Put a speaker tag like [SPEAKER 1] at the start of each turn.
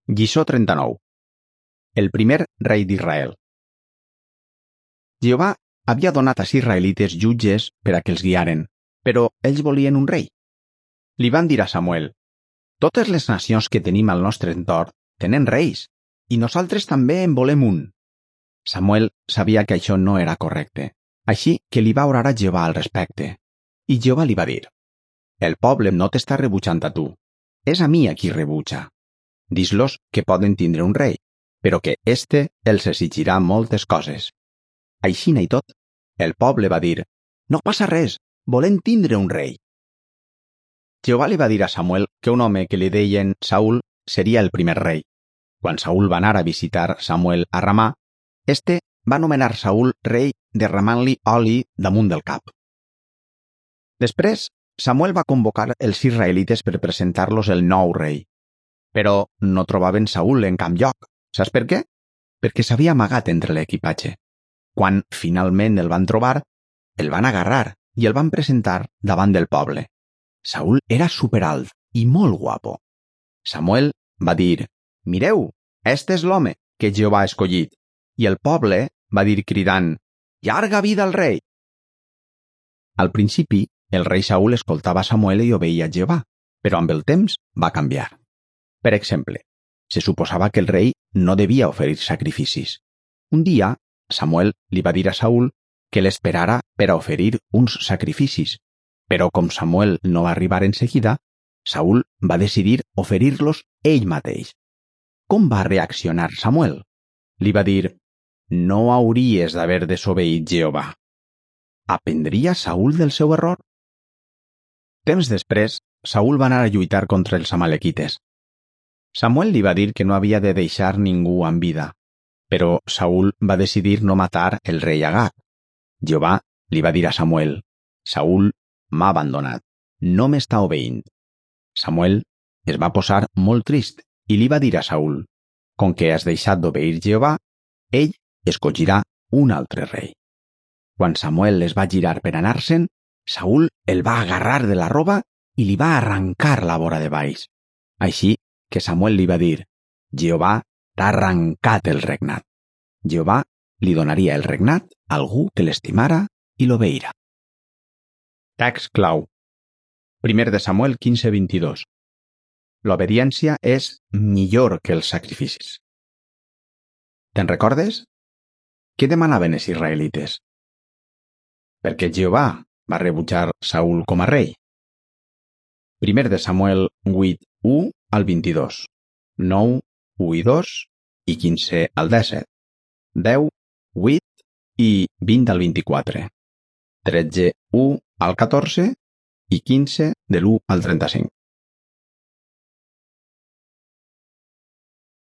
[SPEAKER 1] Lliçó 39. El primer rei d'Israel. Jehovà havia donat als israelites jutges per a que els guiaren, però ells volien un rei. Li van dir a Samuel: «Totes les nacions que tenim al nostre entorn tenen reis, i nosaltres també en volem un». Samuel sabia que això no era correcte, així que li va orar a Jehovà al respecte. I Jehovà li va dir: «El poble no t'està rebutjant a tu, és a mi a qui rebutja. Dis-los que poden tindre un rei, però que éste els exigirà moltes coses». Aixina i tot, el poble va dir: «No passa res, volem tindre un rei». Jehovà li va dir a Samuel que un home que li deien Saül seria el primer rei. Quan Saül va anar a visitar Samuel a Ramà, este va nomenar Saül rei derramant-li oli damunt del cap. Després, Samuel va convocar els israelites per presentar-los el nou rei. Però no trobaven Saül en cap lloc. Saps per què? Perquè s'havia amagat entre l'equipatge. Quan finalment el van trobar, el van agarrar i el van presentar davant del poble. Saül era superalt i molt guapo. Samuel va dir: «Mireu, este és l'home que Jehovà ha escollit». I el poble va dir cridant: «Llarga vida al rei!». Al principi, el rei Saül escoltava Samuel i obeïa a Jehovà, però amb el temps va canviar. Per exemple, se suposava que el rei no devia oferir sacrificis. Un dia, Samuel li va dir a Saül que l'esperara per a oferir uns sacrificis, però com Samuel no va arribar en seguida, Saül va decidir oferir-los ell mateix. Com va reaccionar Samuel? Li va dir: «No hauries d'haver desobeït Jehovà». Aprendria Saül del seu error? Temps després, Saül va anar a lluitar contra els amalequites. Samuel li va dir que no havia de deixar ningú amb vida, però Saül va decidir no matar el rei Agag. Jehovà li va dir a Samuel: «Saül m'ha abandonat, no m'està obeint». Samuel es va posar molt trist i li va dir a Saül: «Com que has deixat d'obeir Jehovà, ell escollirà un altre rei». Quan Samuel es va girar per anar-se'n, Saül el va agarrar de la roba i li va arrencar la vora de baix. Així que Samuel li va dir: «Jehovà t'ha arrencat el regnat». Jehovà li donaria el regnat a algú que l'estimara i l'obeïra. Text clau. 1 de Samuel 15:22. L'obediència és millor que els sacrificis. Te'n recordes? Què demanaven els israelites? Per què Jehovà va rebutjar Saül com a rei? 1 de Samuel 8:1 al 22, 9, 1 i 2 i 15 al 17, 10, 8 i 20 al 24, 13, 1 al 14 i 15 de l'1 al 35.